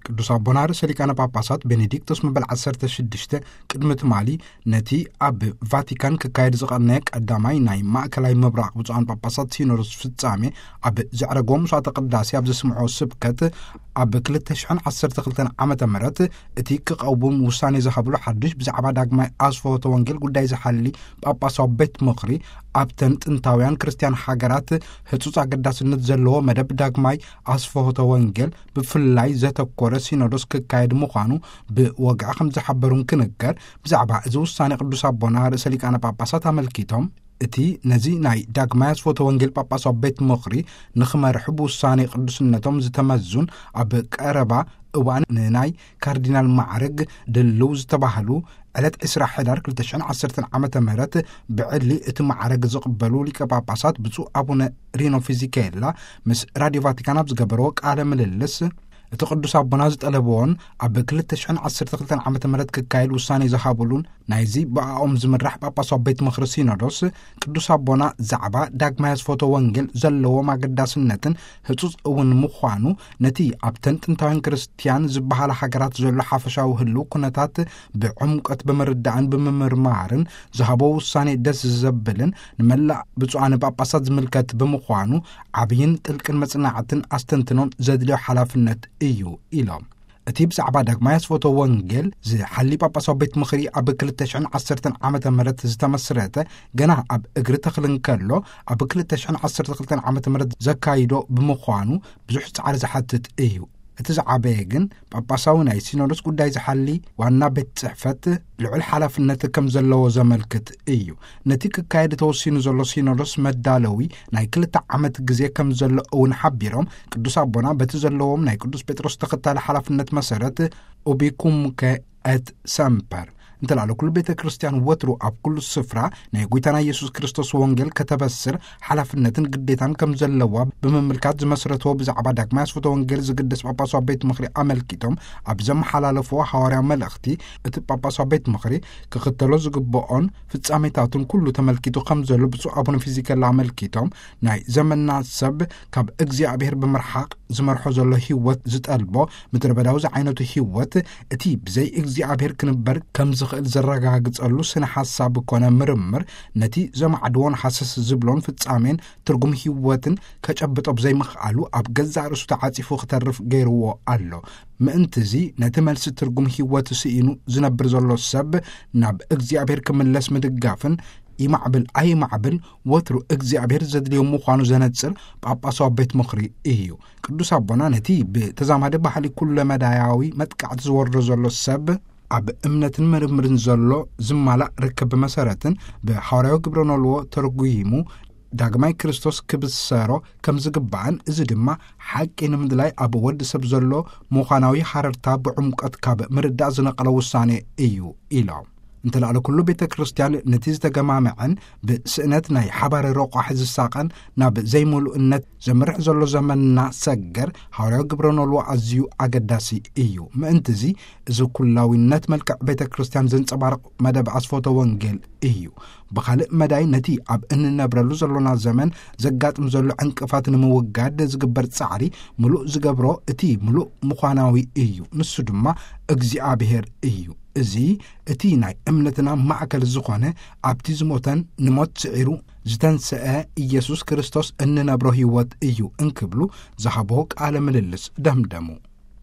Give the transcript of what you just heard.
ቅዱስ ኣቦና ርእሰ ሊቃነ ጳጳሳት ቤኔዲክቶስ መበል ዓሰርተ ሽዱሽተ ቅድሚ ትማሊ ነቲ ኣብ ቫቲካን ክካየድ ዝቐነየ ቀዳማይ ናይ ማእከላይ ምብራቕ ብፁዓን ጳጳሳት ሲኖዶስ ፍጻሜ ኣብ ዘዕረግዎ ምሥዋዕተ ቅዳሴ ኣብ ዘስምዖ ስብከት፣ ኣብ ክልተ ሽሕን ዓሰርተ ክልተን ዓመተ ምህረት እቲ ክቐውም ውሳኔ ዝሃብሉ ሓድሽ ብዛዕባ ዳግማይ ኣስፍሆተ ወንጌል ጉዳይ ዝሓሊ ጳጳሳዊ ቤት ምኽሪ፣ ኣብተን ጥንታውያን ክርስትያን ሃገራት ህጹጽ ኣገዳስነት ዘለዎ መደብ ዳግማይ ኣስፍሆተ ወንጌል ብፍላይ ዘተኮረ ሲኖዶስ ክካየድ ምዃኑ ብወግዒ ከም ዝሓበሩን ክንገር። ብዛዕባ እዚ ውሳኔ ቅዱስ ኣቦና ርእሰ ሊቃነ ጳጳሳት ኣመልኪቶም፣ እቲ ነዚ ናይ ዳግማይ ኣስፍሆተ ወንጌል ጳጳሳዊ ቤት ምኽሪ ንኽመርሑ ብውሳኔ ቅዱስነቶም ዝተመዙን ኣብ ቀረባ እዋን ንናይ ካርዲናል ማዕርግ ድልው ዝተባህሉ ዕለት ዕስራ ሕዳር ክልተ ሽሕን ዓሰርተን ዓመተ ምህረት ብዕሊ እቲ ማዕረግ ዝቕበሉ ሊቀ ጳጳሳት ብፁዕ ኣቡነ ሪኖ ፊዚኬላ ምስ ራዲዮ ቫቲካን ኣብ ዝገበርዎ ቃለ ምልልስ፣ እቲ ቅዱስ ኣቦና ዝጠለብዎን ኣብ ክልተ ሽሕን ዓሰርተ ክልተን ዓመተ ምህረት ክካየድ ውሳኔ ዝሃብሉን ናይዚ ብኣኦም ዝምራሕ ጳጳሳዊ ቤት ምኽሪ ሲኖዶስ፣ ቅዱስ ኣቦና ዛዕባ ዳግማይ ኣስፍሆተ ወንጌል ዘለዎም ኣገዳስነትን ህጹጽ እውን ምዃኑ፣ ነቲ ኣብተን ጥንታውያን ክርስትያን ዝበሃላ ሃገራት ዘሎ ሓፈሻዊ ህልው ኩነታት ብዕምቆት ብምርዳእን ብምምርማርን ዝሃቦ ውሳኔ ደስ ዘብልን ንመላእ ብፁዓን ጳጳሳት ዝምልከት ብምዃኑ፣ ዓብይን ጥልቅን መጽናዕትን ኣስተንትኖን ዘድልዮ ሓላፍነት እዩ ኢሎም። እቲ ብዛዕባ ዳግማይ ኣስፍሆተ ወንጌል ዝሓሊ ጳጳሳዊ ቤት ምኽሪ ኣብ ክልተ ሽሕን ዓሰርተን ዓመተ ምህረት ዝተመስረተ፣ ገና ኣብ እግሪ ተኽሊ እንከሎ፣ ኣብ ክልተ ሽሕን ዓሰርተ ክልተን ዓመተ ምህረት ዘካይዶ ብምዃኑ ብዙሕ ጻዕሪ ዝሓትት እዩ። እቲ ዝዓበየ ግን ጳጳሳዊ ናይ ሲኖዶስ ጉዳይ ዝሓሊ ዋና ቤት ጽሕፈት ልዑል ሓላፍነት ከም ዘለዎ ዘመልክት እዩ። ነቲ ክካየድ ተወሲኑ ዘሎ ሲኖዶስ መዳለዊ ናይ ክልተ ዓመት ግዜ ከም ዘሎ እውን ሓቢሮም፣ ቅዱስ ኣቦና በቲ ዘለዎም ናይ ቅዱስ ጴጥሮስ ተኸታሊ ሓላፍነት መሰረት፣ ኡቢኩምከ ኤት ሰምፐር፣ እንተላለ ኩሉ ቤተ ክርስቲያን ወትሩ ኣብ ኩሉ ስፍራ ናይ ጐይታና ኢየሱስ ክርስቶስ ወንጌል ከተበስር ሓላፍነትን ግዴታን ከም ዘለዋ ብምምልካት፣ ዝመስረትዎ ብዛዕባ ዳግማይ ኣስፍሆተ ወንጌል ዝግደስ ጳጳሳዊ ቤት ምኽሪ ኣመልኪቶም ኣብ ዘመሓላለፍዎ ሃዋርያዊ መልእኽቲ፣ እቲ ጳጳሳዊ ቤት ምኽሪ ክኽተሎ ዝግብኦን ፍጻሜታቱን ኩሉ ተመልኪቱ ከም ዘሎ ብፁዕ ኣቡነ ፊዚከላ ኣመልኪቶም፣ ናይ ዘመንና ሰብ ካብ እግዚኣብሔር ብምርሓቕ ዝመርሖ ዘሎ ህይወት ዝጠልቦ ምድረ በዳዊ ዝዓይነቱ ህይወት፣ እቲ ብዘይ እግዚኣብሔር ክንበር ከም ዝኽእል ዘረጋግጸሉ ስነ ሓሳብ ኮነ ምርምር፣ ነቲ ዘማዕድዎን ሃሰስ ዝብሎን ፍጻሜን ትርጉም ህይወትን ከጨብጦ ብዘይምኽኣሉ፣ ኣብ ገዛእ ርእሱ ተዓጺፉ ክተርፍ ገይርዎ ኣሎ። ምእንትዚ፣ ነቲ መልሲ ትርጉም ህይወት ስኢኑ ዝነብር ዘሎ ሰብ ናብ እግዚኣብሔር ክምለስ ምድጋፍን፣ ይማዕብል ኣይማዕብል፣ ወትሩ እግዚኣብሔር ዘድልዮ ምዃኑ ዘነጽር ጳጳሳዊ ቤት ምኽሪ እዩ። ቅዱስ ኣቦና ነቲ ብተዛማዲ ባህሊ ኩለመዳያዊ መጥቃዕቲ ዝወርዶ ዘሎ ሰብ፣ ኣብ እምነትን ምርምርን ዘሎ ዝማላእ ርክብ መሰረትን ብሃዋርያዊ ግብረ ኖልዎ ተርጉሙ፣ ዳግማይ ክርስቶስ ክብሰሮ ከም ዝግባእን፣ እዚ ድማ ሓቂ ንምድላይ ኣብ ወዲ ሰብ ዘሎ ምዃናዊ ሃረርታ ብዕምቆት ካብ ምርዳእ ዝነቐለ ውሳኔ እዩ ኢሎም። እንተላዕለ ኩሉ ቤተ ክርስቲያን ነቲ ዝተገማመዐን ብስእነት ናይ ሓባር ረቋሒ ዝሳቐን ናብ ዘይምሉእነት ዘምርሕ ዘሎ ዘመንና ሰገር ሃዋርያዊ ግብረ ኖልዎ ኣዝዩ ኣገዳሲ እዩ። ምእንትዚ፣ እዚ ኩላዊነት መልክዕ ቤተ ክርስቲያን ዘንጸባርቕ መደብ ኣስፎተ ወንጌል እዩ። ብኻልእ መዳይ፣ ነቲ ኣብ እንነብረሉ ዘሎና ዘመን ዘጋጥም ዘሎ ዕንቅፋት ንምውጋድ ዝግበር ጻዕሪ ምሉእ ዝገብሮ እቲ ምሉእ ምዃናዊ እዩ። ንሱ ድማ እግዚኣብሔር እዩ። እዚ እቲ ናይ እምነትና ማእከል ዝኾነ፣ ኣብቲ ዝሞተን ንሞት ስዒሩ ዝተንስአ ኢየሱስ ክርስቶስ እንነብሮ ህይወት እዩ እንክብሉ ዝሃቦ ቃለ ምልልስ ደምደሙ።